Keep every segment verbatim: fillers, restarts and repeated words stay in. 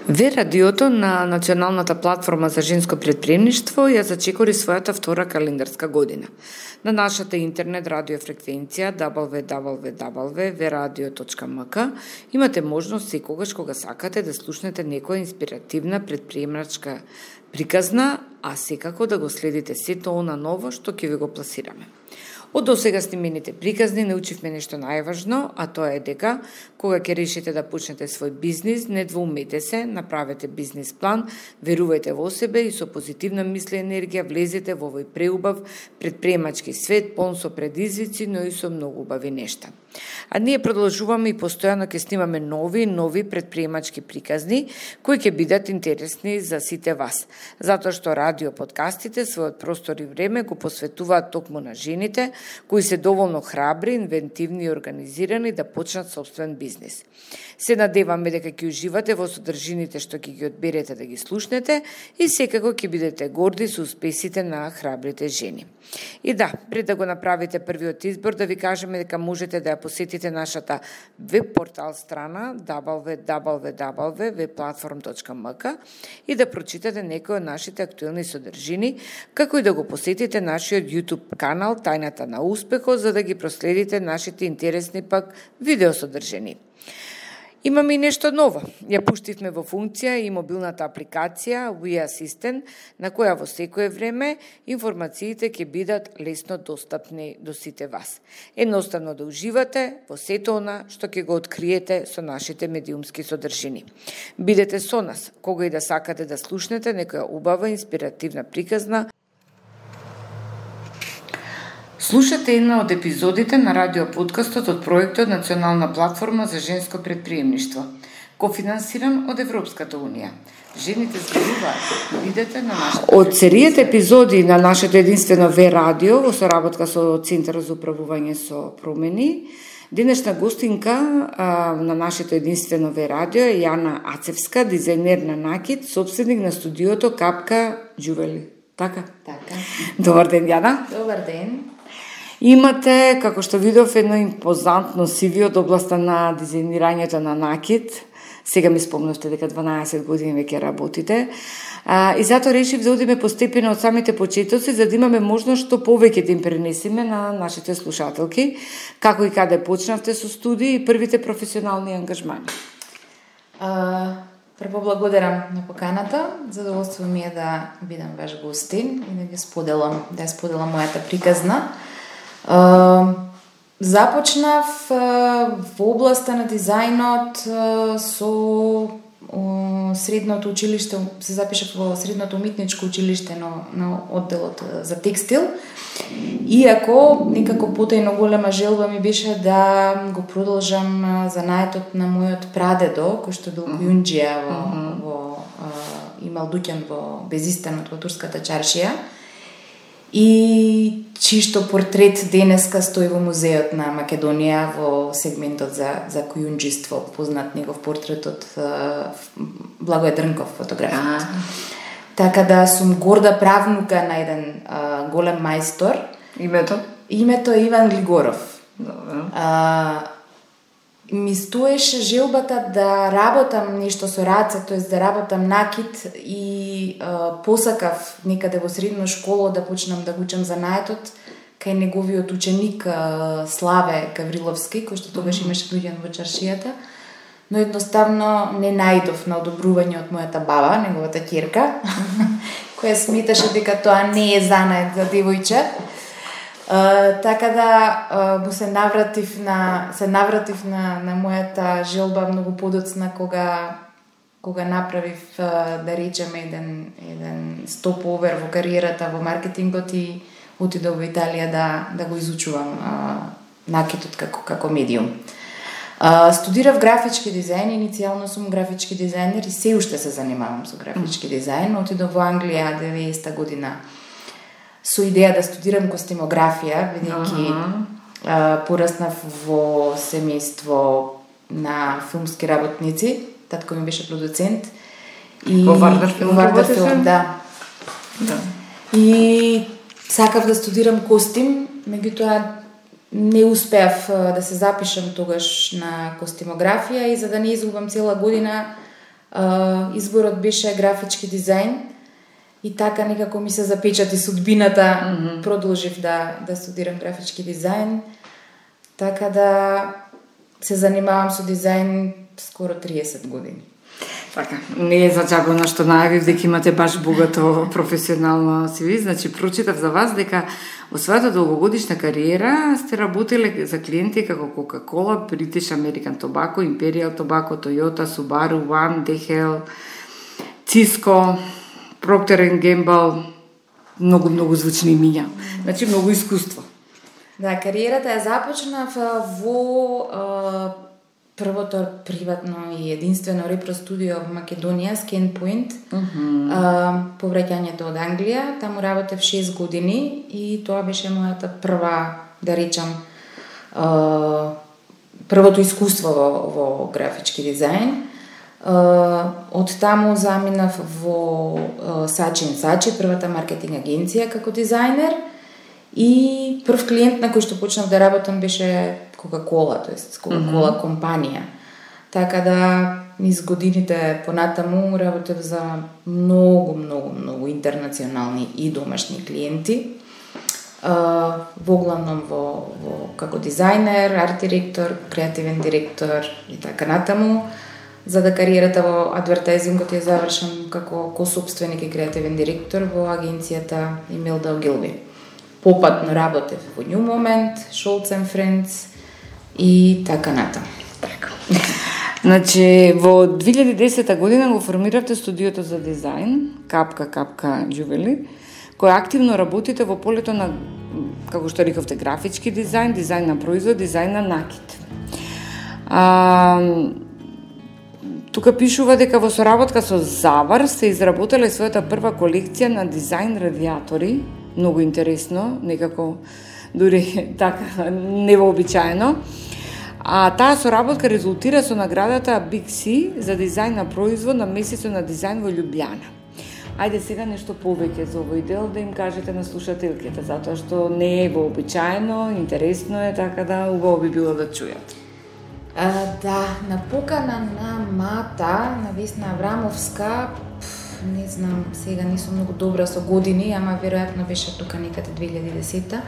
Ве радиото на Националната платформа за женско претприемништво ја зачекори својата втора календарска година. На нашата интернет радиофреквенција дабл ю дабл ю дабл ю точка ве радио точка ем ка имате можност секогаш кога сакате да слушнете некоја инспиративна претприемачка приказна, а секако да го следите сето она ново што ќе ви го пласираме. Од досега снимените приказни научивме нешто најважно, а тоа е дека кога ќе решите да почнете свој бизнис, не двоумете се, направете бизнис план, верувајте во себе и со позитивна мисли и енергија влезете во овој преубав претприемачки свет, полн со предизвици, но и со многу убави нешта. А ние продолжуваме и постојано ќе снимаме нови нови претприемачки приказни кои ќе бидат интересни за сите вас, затоа што радио подкастите својот простор и време го посветуваат токму на жените кои се доволно храбри, инвентивни и организирани да почнат собствен бизнис. Се надеваме дека ќе уживате во содржините што ќе ги одберете да ги слушнете и секако ќе бидете горди со успесите на храбрите жени. И да, пред да го направите првиот избор, да ви кажеме дека можете да ја посетите нашата веб портал страна дабл ю дабл ю дабл ю точка ве платформ точка ем ка и да прочитате некои од нашите актуелни содржини, како и да го посетите нашиот YouTube канал Тајната на успехот, за да ги проследите нашите интересни пак видеосодржини. Имаме и нешто ново. Ја пуштивме во функција и мобилната апликација We Assistant, на која во секое време информациите ќе бидат лесно достапни до сите вас. Едноставно да уживате во сето она што ќе го откриете со нашите медиумски содржини. Бидете со нас, кога и да сакате да слушнете некоја убава инспиративна приказна. Слушате една од епизодите на радиоподкастот од проектот Национална платформа за женско претприемништво, кофинансиран од Европската унија. Жените зборуваат, видете на нашата... Од серијата епизоди на нашето единствено Ве радио во соработка со Центарот за управување со промени, денешна гостинка а, на нашето единствено Ве радио е Јана Ацевска, дизајнер на накид, собственик на студиото Капка Джувели. Така? Така. Добар ден, Јана. Добар ден. Имате, како што видов, едно импозантно си ви од областа на дизајнирањето на накид. Сега ми спомнавте дека дванаесет години веќе работите. А, и затоа решив да одиме постепено од самите почетоци, за да имаме можност што повеќе да им пренесеме на нашите слушателки, како и каде почнавте со студии и првите професионални ангажмани. А, прво благодарам на поканата. Задоволство ми е да бидам ваш гостин и да ви споделам, да ја споделам мојата приказна. Uh, започнав uh, во областа на дизајнот uh, со uh, средното училиште, се запишав во средното уметничко училиште на, на одделот uh, за текстил. Иако некако потајно голема желба ми беше да го продолжам uh, занаетот на мојот прадедо, кој што бил кујунџија во, uh-huh. во uh, имал дуќан во Безистанот во турската чаршија. И чишто портрет денеска стои во музеот на Македонија во сегментот за за кујунџиство, познат негов портрет од Благој Дрнков, фотографот. А. Така да сум горда правнука на еден а, голем мајстор. Името? Името е Иван Глигоров. Добро. А, ми стоеше желбата да работам нешто со раце, тоест да работам накид и а, посакав некаде во средна школа да почнам да го учам занаетот кај неговиот ученик а, Славе Гавриловски, кој што тогаш имаше дојден во чаршијата, но едноставно не најдов на одобрување од мојата баба, неговата ќерка, која сметаше дека тоа не е занает за девојче. Uh, така да uh, му се навратив на се навратив на на мојата желба многу подоцна кога кога направив uh, да речеме еден еден стоповер во кариерата во маркетингот и отидов во Италија да да го изучувам uh, накидот како како медиум. Uh, студирав графички дизајн, иницијално сум графички дизајнер и се уште се занимавам со графички дизајн. Отидов во Англија деветдесета година со идеја да студирам костимографија, бидејќи uh-huh. пораснав во семејство на филмски работници. Татко ми беше продуцент. И во Вардар филм, Вардар филм, да. да. И сакав да студирам костим, меѓутоа не успеав да се запишам тогаш на костимографија и за да не изгубам цела година изборот беше графички дизајн и така некако ми се запечати судбината, mm-hmm. продолжив да, да студирам графички дизајн, така да се занимавам со дизајн скоро триесет години. Така, не е зачагано што најавив дека имате баш богато професионално си ви, значи прочитав за вас дека во својата долгогодишна кариера сте работеле за клиенти како Coca-Cola, British American Tobacco, Imperial Tobacco, Toyota, Subaru, One, D H L, Cisco, Procter and Gamble, многу многу звучни имиња. Значи многу искуство. Да, кариерата ја започнав во а, првото приватно и единствено репро студио во Македонија, Scanpoint, uh-huh. а, повраќањето од Англија. Таму работев шест години и тоа беше мојата прва, да речам, а, првото искуство во, во графички дизајн. Uh, од таму заминав во uh, Saatchi and Saatchi, првата маркетинг агенција како дизајнер, и прв клиент на кој што почнав да работам беше Coca-Cola, тоест Coca-Cola mm-hmm. компанија. Така да низ годините понатаму работев за многу, многу, многу интернационални и домашни клиенти. Uh, во главном во, во како дизајнер, арт директор, креативен директор и така натаму. За да кариерата во адвертајзингот ја завршам како косопственик и креативен директор во агенцијата Imelda Ogilvy. Попатно работев во New Moment, Schultz and Friends и така натаму. Така. Значи, во две илјади и десета година го формиравте студиото за дизајн, Капка Капка Jewelry, кој активно работите во полето на, како што рековте, графички дизајн, дизајн на производ, дизајн на накид. А, Тука пишува дека во соработка со Завар сте изработиле својата прва колекција на дизајн радиатори, многу интересно, некако дури така невообичаено. А таа соработка резултира со наградата Big C за дизајн на производ на месецот на дизајн во Љубљана. Ајде сега нешто повеќе за овој дел да им кажете на слушателките, затоа што не е вообичаено, интересно е, така да убаво би било да чујат. А, да, на покана на Мата, на Весна Аврамовска, пф, не знам, сега не сум многу добра со години, ама веројатно беше тука некаде две илјади и десета.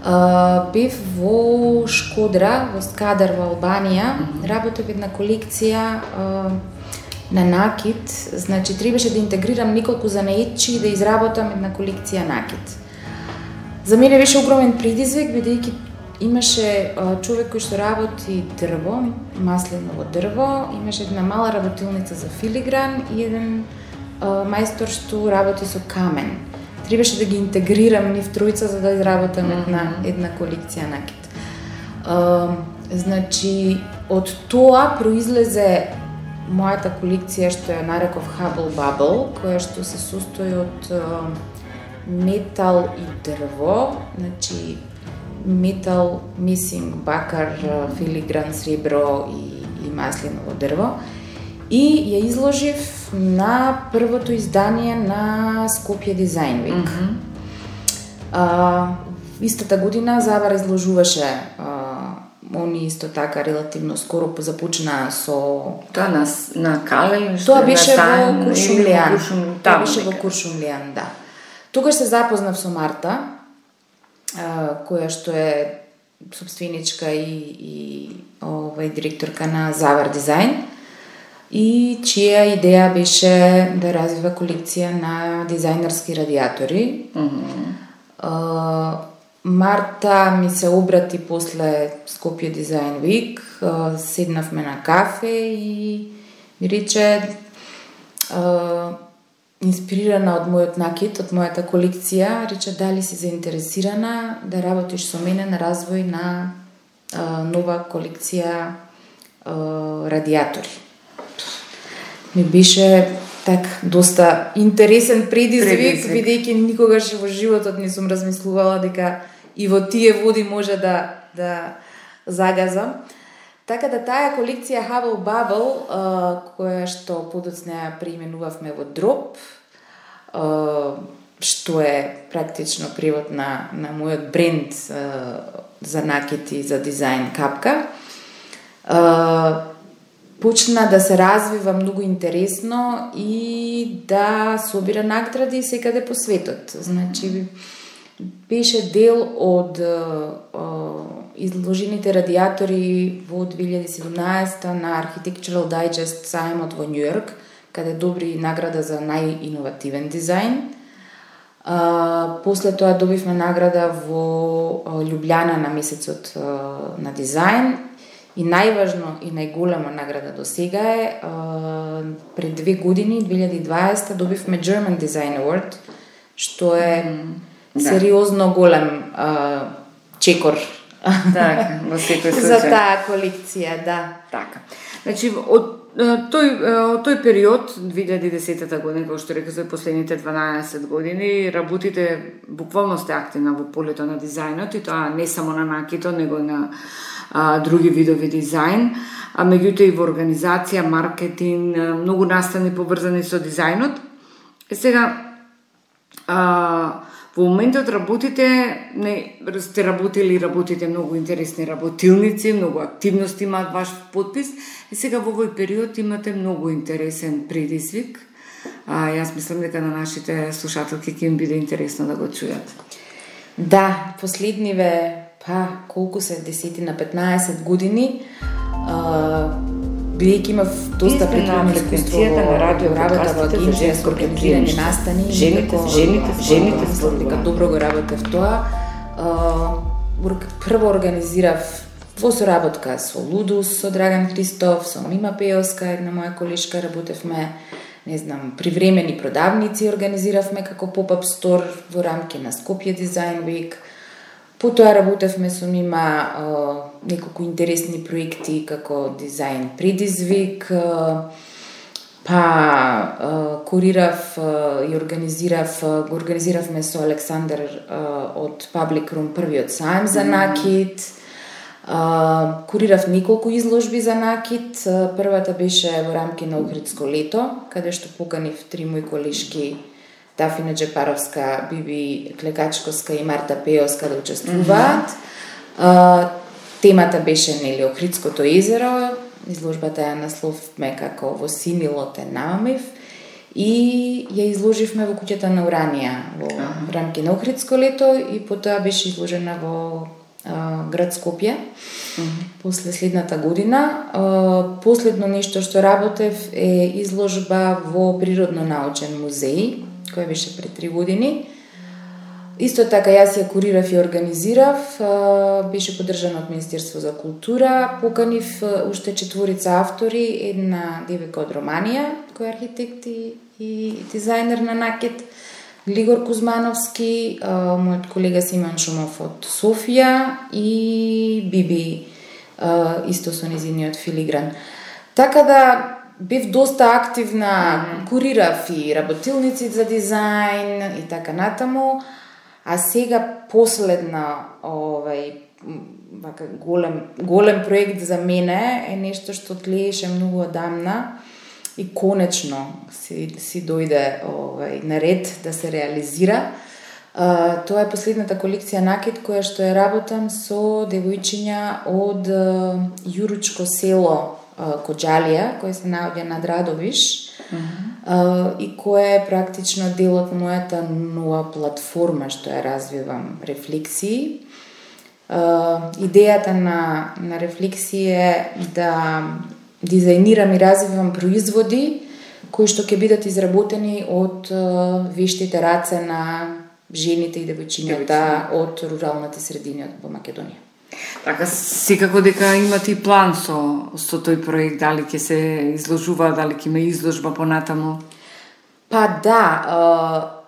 А, бев во Шкодра, во Скадар во Албанија, mm-hmm. работев една колекција а, на накид, значи требаше да интегрирам неколку занаетчи и да изработам една колекција накид. За мене беше огромен предизвик, бидејќи имаше а, човек кој што работи дрво, маслиново дрво, имаше една мала работилница за филигран и еден а, мајстор што работи со камен. Требаше да ги интегрирам нив тројца за да изработам mm-hmm. една, една колекција накид. А, значи, од тоа произлезе мојата колекција што ја нареков Hubble Bubble, која што се состои од а, метал и дрво, значи метал, мисинг, бакар, филигран, сребро и, и маслиново дрво. И ја изложив на првото издание на Skopje Design Week. Mm-hmm. А, истата година Завар изложуваше, а, они исто така релативно скоро започнаа со... Тоа на, на Кале? Тоа беше во Куршумлијан. Тоа беше во Куршумлијан, да. Тогаш се запознав со Марта, која што е собственичка и, и овај директорка на Завар Дизајн, и чија идеја беше да развива колекција на дизајнерски радиатори. Mm-hmm. Марта ми се обрати после Skopje Design Week, седнавме на кафе и ми рече, инспирирана од мојот накид, од мојата колекција, рече дали си заинтересирана да работиш со мене на развој на а, нова колекција а, радиатори. Ми беше так доста интересен предизвик, бидејќи никогаш во животот не сум размислувала дека и во тие води може да да загазам. Така да таа колекција Hubble Bubble, а, која што подоцна ја преименувавме во Drop, а, што е практично превод на, на мојот бренд а, за накид и за дизајн Капка, а, почна да се развива многу интересно и да собира награди секаде по светот. Значи, беше дел од изложените радиатори во две илјади и седумнаесета на Architectural Digest сајмот во Њујорк, каде добри награда за најиновативен дизајн. А, после тоа добивме награда во Љубљана на месецот на дизајн и најважно и најголема награда до сега е а, пред две години, две илјади и дваесета, добивме German Design Award, што е mm, сериозно да. голем а, чекор. Така, во секој случај. За таа колекција, да. Така. Значи, од тој, од тој период, две илјади и десета година, како што рекав, за последните дванаесет години, работите, буквално сте активна во полето на дизајнот, и тоа не само на накито, него на а, други видови дизајн, а меѓутоа и во организација, маркетинг, многу настани поврзани со дизајнот. И сега, а, во моментот работите, не сте работили и работите многу интересни работилници, многу активности имаат ваш подпис, и сега во овој период имате многу интересен предизвик. А, јас мислам дека на нашите слушателки ќе им биде интересно да го чујат. Да, последниве, па, колку се, десетина, петнаесет години, а, бидејќи имав доста претходно искуство на радио, работа во агенција со организирање настани, жените, жените, жените, дека добро го работев тоа. Прво организирав во соработка со Лудус, со Драган Христов, со Мима Пеоска, една моја колешка, работевме, не знам, привремени продавници организиравме како поп-ап стор во рамки на Скопје Design Week. Потоа работевме со Мима неколку интересни проекти како дизајн предизвик, па курирав и организирав, го организиравме со Александар од Public Room првиот сајм за накит. Курирав неколку изложби за накит. Првата беше во рамки на Охридско лето, каде што поканив три мои колешки, Дафина Джепаровска, Биби Клекачковска и Марта Пеоска да учествуваат. Mm-hmm. Темата беше, нели, Охридското езеро. Изложбата ја насловме како Во синилот е намамив и ја изложивме во куќата на Уранија во uh-huh. рамки на Охридско лето и потоа беше изложена во а, град Скопје. Uh-huh. После следната година. А, последно нешто што работев е изложба во Природно-научен музеј, која беше пред три години. Исто така јас ја курирав и организирав, беше поддржана од Министерство за култура, поканив уште четворица автори, една девојка од Романија, која е архитект и, и дизајнер на накит, Глигор Кузмановски, мојот колега Симон Шумов од Софија и Биби, исто со низиниот филигран. Така да бев доста активна, mm-hmm. курирав и работилници за дизајн и така натаму. А сега последна овај вака голем голем проект за мене е нешто што тлееше многу одамна и конечно си си дојде овај на ред да се реализира. А, тоа е последната колекција накит која што ја работам со девојчиња од Јуручко село Коџалија, кој се наоѓа над Радовиш. Uh-huh. Uh, и која е практично дел од мојата нова платформа што ја развивам, рефлексии. Uh, идејата на, на рефлексии е да дизајнирам и развивам производи кои што ќе бидат изработени од uh, вештите раце на жените и девојчињата од руралните средини во Македонија. Така, секако дека имате и план со, со тој проект, дали ќе се изложува, дали ќе има изложба понатаму? Па да,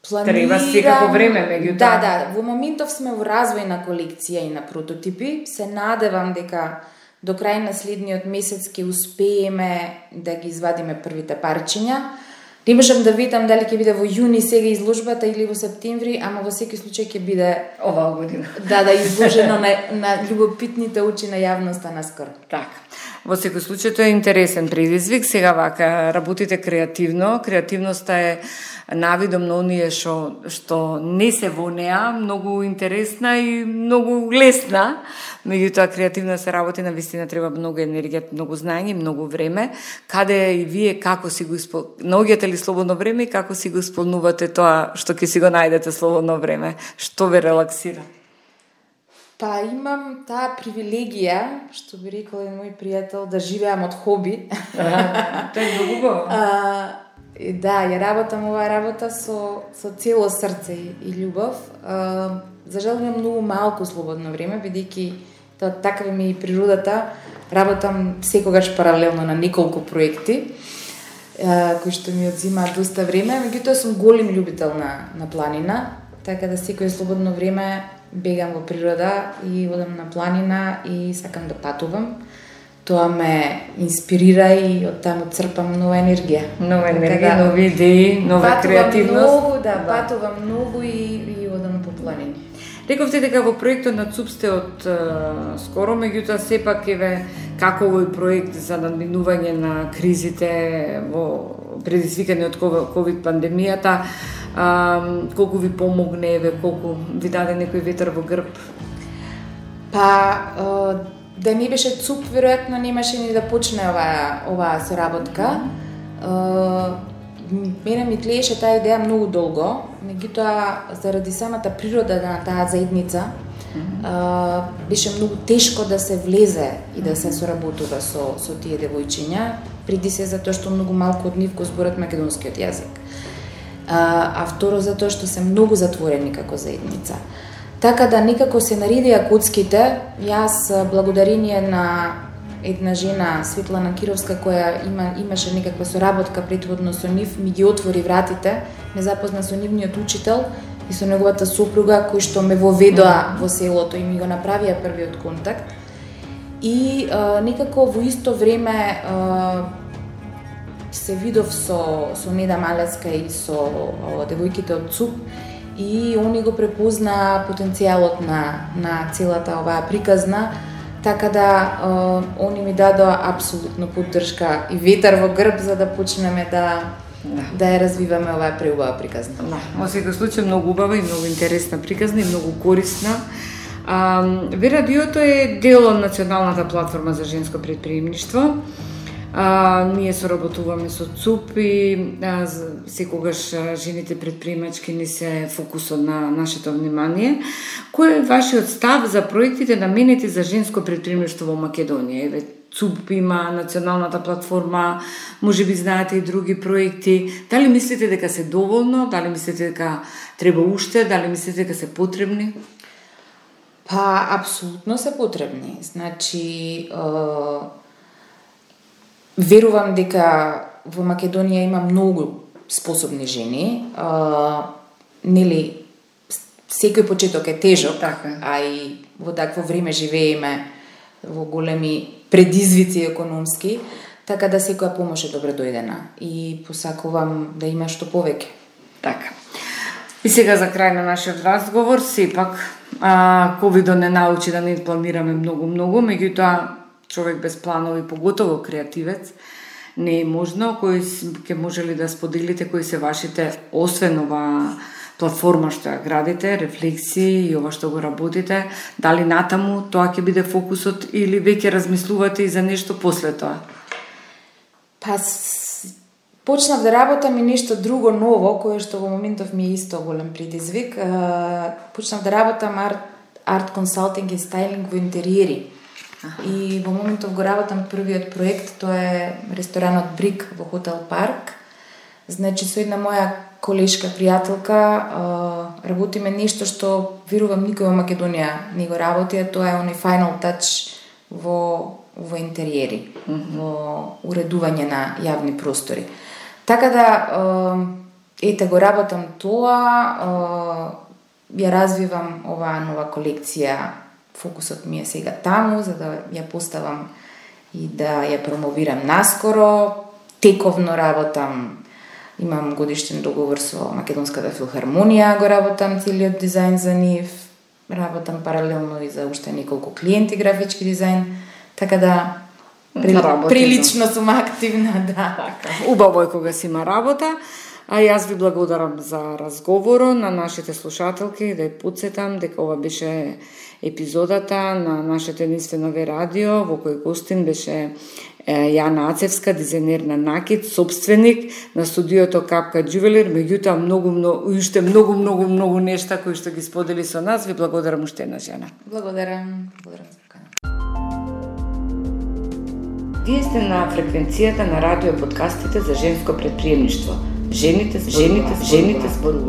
планирам... Треба секако време, меѓутоа. Да, да, во моментов сме во развој на колекција и на прототипи. Се надевам дека до крај на следниот месец ќе успееме да ги извадиме првите парчиња. Не можам да видам дали ќе биде во јуни сега изложбата или во септември, ама во секој случај ќе биде оваа година. Да, да, изложено на, на љубопитните очи на јавноста наскоро. Така. Во секој случај тоа е интересен предизвик. Сега вака работите креативно. Креативноста е навидом на оние што што не се во неа, многу интересна и многу лесна. Меѓутоа креативно се работи, на вистина треба многу енергија, многу знаење, многу време. Каде и вие како си го испол... наоѓате ли слободно време и како си го исполнувате тоа што ќе си го најдете слободно време? Што ве релаксира? Па имам таа привилегија, што би рекол еден мој пријател, да живеам од хоби. А, тоа е многу убаво. Да, ја работам оваа работа со со цело срце и, и љубов. А, за жал имам многу малку слободно време, бидејќи тоа такава ми и природата. Работам секогаш паралелно на неколку проекти, а, кои што ми одзимаат доста време, меѓутоа сум голем љубител на на планина, така да секој слободно време бегам во природа и одам на планина и сакам да патувам. Тоа ме инспирира и од таму црпам нова енергија. Нова енергија, да, нови идеи, нова креативност. Патувам многу, да, да, патувам многу и, и одам по планини. Рековте дека во проектот на ЦУП сте од е, скоро, меѓутоа сепак еве како овој проект за надминување на кризите во предизвикани од ковид пандемијата, а, колку ви помогне, еве колку ви даде некој ветер во грб? Па да не беше ЦУП, веројатно немаше ни да почне оваа оваа соработка. Мене ми тлееше таа идеја многу долго, меѓутоа заради самата природа на таа заедница mm-hmm. беше многу тешко да се влезе и да се соработува со со тие девојчиња, преди се затоа што многу малку од нив го зборат македонскиот јазик. А, а второ затоа што се многу затворени како заедница. Така да некако се наредија коцките. Јас благодарение на една жена, Светлана Кировска, која има, имаше некаква соработка претходно со нив, ми ги отвори вратите, ме запозна со нивниот учител и со неговата сопруга, кои што ме воведоа во селото и ми го направија првиот контакт. И а, некако во исто време а, се видов со, со Неда Малецка и со а, девојките од ЦУП и они го препозна потенцијалот на, на целата оваа приказна, така да е, они ми дадоа апсолутно поддршка и ветер во грб за да почнеме да да, да ја развиваме оваа преубава приказна. Да, во секој случај многу убава и многу интересна приказна и многу корисна. А, Ве радиото е дел од Националната платформа за женско претприемништво. А, ние соработуваме со ЦУП и а, секогаш а, жените предприемачки ни се фокусот на нашето внимание. Кој е вашиот став за проектите наменети за женско предприемништво во Македонија? Еве, ЦУП има Националната платформа, можеби знаете и други проекти. Дали мислите дека се доволно? Дали мислите дека треба уште? Дали мислите дека се потребни? Па, апсолутно се потребни. Значи, е... верувам дека во Македонија има многу способни жени. А, нели, секој почеток е тежок, така, а и во такво време живееме во големи предизвици економски, така да секоја помош е добре дојдена и посакувам да има што повеќе. Така. И сега за крај на нашиот разговор, сепак, а, ковидот не научи да не планираме многу-многу, меѓутоа човек без планови, поготово креативец, не е можно. Кои ќе можели да споделите кои се вашите, освен ова платформа што ја градите, рефлексии и ова што го работите, дали натаму тоа ќе биде фокусот или веќе размислувате и за нешто после тоа? Па, почнав да работам и нешто друго ново, кое што во моментов ми е исто голем предизвик. Почнав да работам арт, арт консалтинг и стайлинг во интериери. И во моментов го работам првиот проект, тоа е ресторанот Брик во Хотел Парк. Значи, со една моја колешка, пријателка, работиме нешто што верувам никој во Македонија не го работи, а тоа е оној final touch во, во интериери, mm-hmm. во уредување на јавни простори. Така да, ете, го работам тоа, ја развивам оваа нова колекција. Фокусот ми е сега таму, за да ја поставам и да ја промовирам наскоро. Тековно работам, имам годишен договор со Македонската филхармонија, го работам целиот дизајн за нив, работам паралелно и за уште неколку клиенти графички дизајн, така да При, прилично сум активна, да. Така, убаво е кога си има работа. А јас ви благодарам за разговорот на нашите слушателки, да ја подсетам дека ова беше епизодата на нашето единствено радио, во кој гостин беше Јана Ацевска, дизајнер на накид, собственик на студиото Капка Джувелир, меѓутоа многу, многу, уште многу, многу, многу нешта кои што ги сподели со нас. Ви благодарам уште една жена. Благодарам. Благодарам за покана. Вие сте на фреквенцијата на радио подкастите за женско предприемништво. Жените, жените, жените зборуваат.